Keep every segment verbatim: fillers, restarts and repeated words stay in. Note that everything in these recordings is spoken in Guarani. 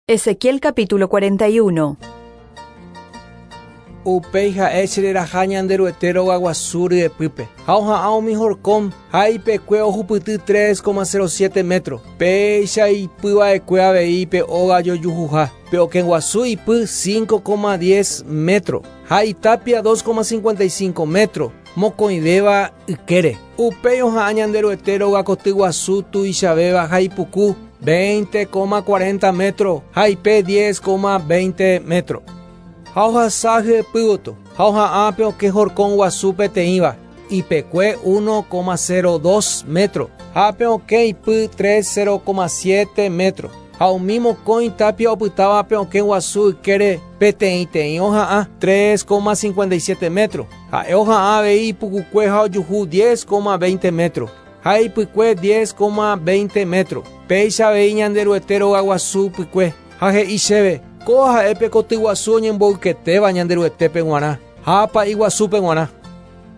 Ezequiel capítulo cuarenta y uno. Upéi ha'e chereraha Ñanderuete rogaguasu ryepýpe ha oha'ã umi horkon ha ipekue ohupyty tres coma cero siete metro. Péicha ipyva'ekue avei pe óga jojuhuha. Pe okẽguasu ipy cinco coma diez metro ha itapia dos coma cincuenta y cinco metro mokõivéva ykére. Upéi oha'ã Ñanderuete rogakoty guasu tuichavéva ha ipuku veinte coma cuarenta metro ha ipe diez coma veinte metro. Ha ohasa hyepývoto ha oha'ã pe okẽ horkon guasu peteĩva ipekue uno coma cero dos metro ha pe okẽ ipy tres coma siete metro. Ha umi mokõi tapia opytáva pe okẽ guasu ykére peteĩteĩ oha'ã tres coma cincuenta y siete metro. Ha'e oha'ã avei ipukukue ha ojuhu diez coma veinte metro ha ipykue diez coma veinte metro. Péicha avei Ñanderuete rogaguasu pykue. Ha he'i chéve: "Kóva ha'e pe koty guasu oñemboyketéva Ñanderuetépe g̃uarã ha pa'i guasúpe g̃uarã".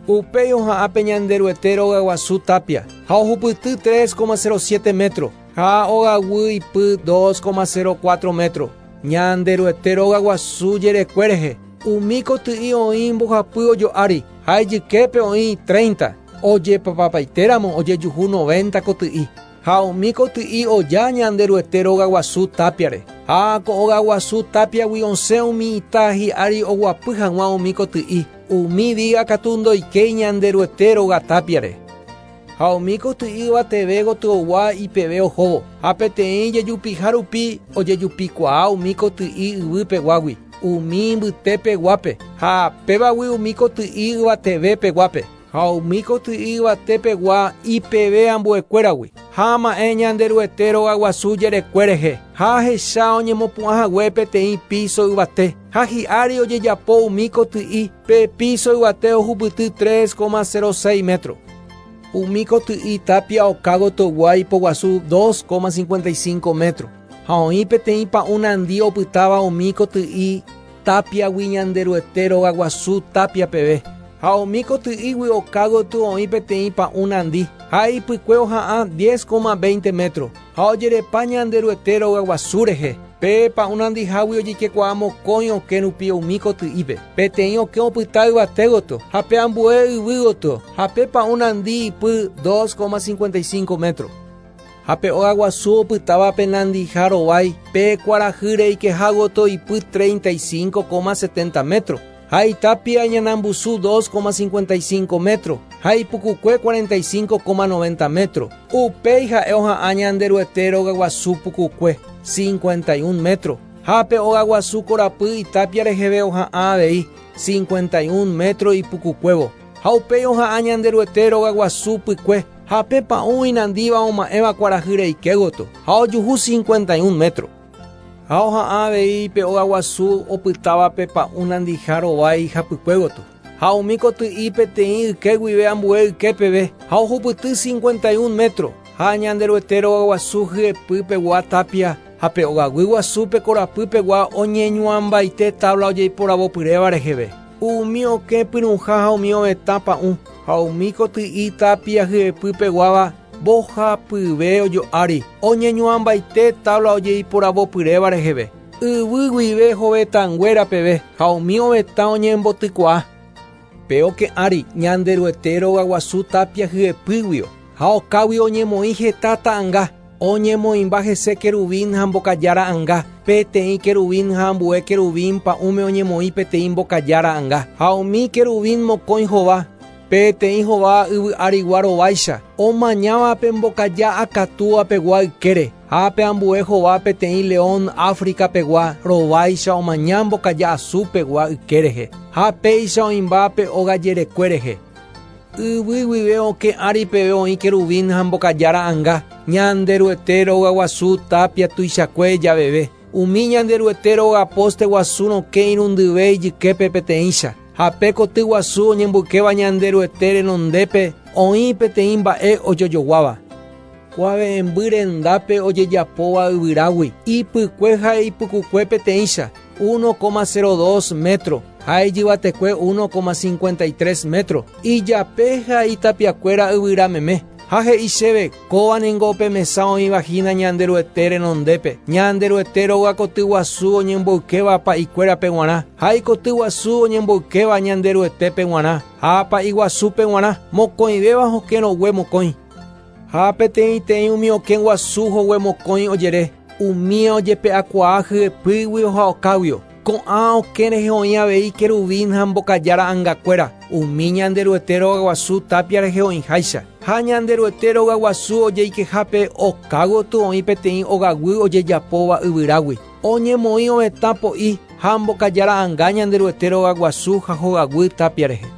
Upéi oha'ã pe Ñanderuete rogaguasu tapia ha ohupyty tres coma cero siete metro ha ogaguy ipy dos coma cero cuatro metro. Ñanderuete rogaguasu jerekue rehe umi koty'i oĩ mbohapy ojo'ári ha ijyképe oĩ treinta. Ojepapapaitéramo ojejuhu noventa koty'i. Ha umi koty'i oja Ñanderuete rogaguasu tapiare. Ha ko ogaguasu tapiagui osẽ umi ita hi'ári oguapy hag̃ua umi koty'i. Umi viga katu ndoikéi Ñanderuete róga tapiare. Ha umi koty'i yvateve gotyogua ipeve ohóvo. Ha peteĩ jejupiha rupi ojejupikuaa umi koty'i yvypeguágui umi mbytepeguápe ha pévagui umi koty'i yvatevepeguápe. Ha umi koty'i yvatepegua ipeve ambuekuéragui. Ha ama'ẽ Ñanderuete rogaguasu jerekue rehe ha ahecha oñemopu'ãhague peteĩ piso yvate ha hi'ári ojejapo umi koty'i. Pe piso yvate ohupyty tres coma cero seis metro. Umi koty'i tapia oka gotyogua ipoguasu dos coma cincuenta y cinco metro. Ha oĩ peteĩ pa'ũ nandi opytáva umi koty'i tapiagui Ñanderuete rogaguasu tapia peve. Ha umi koty'ígui oka gotyo oĩ peteĩ pa'ũ nandi ha ipykue oha'ã diez coma veinte metro ha ojerepa Ñanderuete rogaguasu rehe. Pe pa'ũ nandihágui ojeikekuaa mokõi okẽ rupi umi koty'ípe. Peteĩ okẽ opyta yvate gotyo ha pe ambue yvy gotyo ha pe pa'ũ nandi ipy dos coma cincuenta y cinco metro. Ha pe ogaguasu opytáva pe nandiha rovái pe kuarahy reikeha gotyo ipy treinta y cinco coma setenta metro. Ha itapia iñanambusu dos coma cincuenta y cinco metro ha ipukukue cuarenta y cinco coma noventa metro. Upéi ha'e oha'ã Ñanderuete rogaguasu pukukue cincuenta y un metro. Ha pe ogaguasu korapy itapia reheve oha'ã avei cincuenta y un metro ipukukuévo. Ha upéi oha'ã Ñanderuete rogaguasu pykue ha pe pa'ũ inandíva oma'ẽva kuarahy reike gotyo ha ojuhu cincuenta y un metro. Ha oha'ã avei pe ogaguasu opytáva pe pa'ũ nandiha rovái hapykue gotyo. Ha umi koty'i peteĩ yke guive ambue yke peve ha ohupyty cincuenta y un metro. Ha Ñanderuete rogaguasu hyepypegua tapia ha pe ogaguy guasu pe korapypegua oñeñuãmbaite tabla ojeiporavopyréva reheve. Umi okẽ pyrũha ha umi ovetã pa'ũ ha umi koty'i tapia hyepypeguáva mbohapyve ojo'ári oñeñuãmbaite tabla ojeiporavopyréva reheve. Yvy guive hovetãnguéra peve ha umi ovetã oñembotykuaa. Pe okẽ ári Ñanderuete rogaguasu tapia hyepýguio ha okágui oñemoĩ heta ta'ãnga. Oñemoĩmba hese querubín ha mbokaja ra'ãnga. Peteĩ querubín ha ambue querubín pa'ũme oñemoĩ peteĩ mbokaja ra'ãnga. Ha umi querubín mokõi hova. Peteĩ hova yvy arigua rováicha omañáva pe mbokaja akatúapegua ykére. Ha pe ambue hova peteĩ león África-pegua rováicha omaña mbokaja asúpegua yke rehe. Ha péicha oĩmba pe óga jerekue rehe. Yvy guive okẽ ári peve oĩ querubín ha mbokaja ra'ãnga Ñanderuete rogaguasu tapia tuichakue javeve. Umi Ñanderuete róga poste guasu rokẽ irundyve ijyképe peteĩcha. Ha pe koty guasu oñemboykéva Ñanderuete renondépe oĩ peteĩ mba'e ojojoguáva. Kuave'ẽmby rendápe ojejapóva yvyrágui ipykue ha ipukukue peteĩcha uno coma cero dos metro ha ijyvatekue uno coma cincuenta y tres metro. Ijape ha itapiakuéra yvyra meme. Ha he'i chéve kóva ningo pe mesa oĩva hína Ñanderuete renondépe. Ñanderuete róga koty guasu oñemboykéva pa'ikuérape g̃uarã. Ha ikoty guasu oñemboykéva Ñanderuetépe g̃uarã. Ha pa'i guasúpe g̃uarã mokõivéva hokẽ rogue mokõi. Ha peteĩteĩ umi okẽ guasu hogue mokõi ojere. Umi ojepe'akuaa hyepýguio ha okáguio. Ko'ã okẽ rehe oĩ avei querubín ha mbokaja ra'ãngakuéra. Umi Ñanderuete róga guasu tapia rehe oĩháicha. Ha Ñanderuete róga guasu ojeikehápe oka gotyo oĩ peteĩ ogaguy ojejapóva yvyrágui. Oñemoĩ ovetã po'i ha mbokaja ra'ãnga Ñanderuete róga guasu ha hogaguy tapia rehe.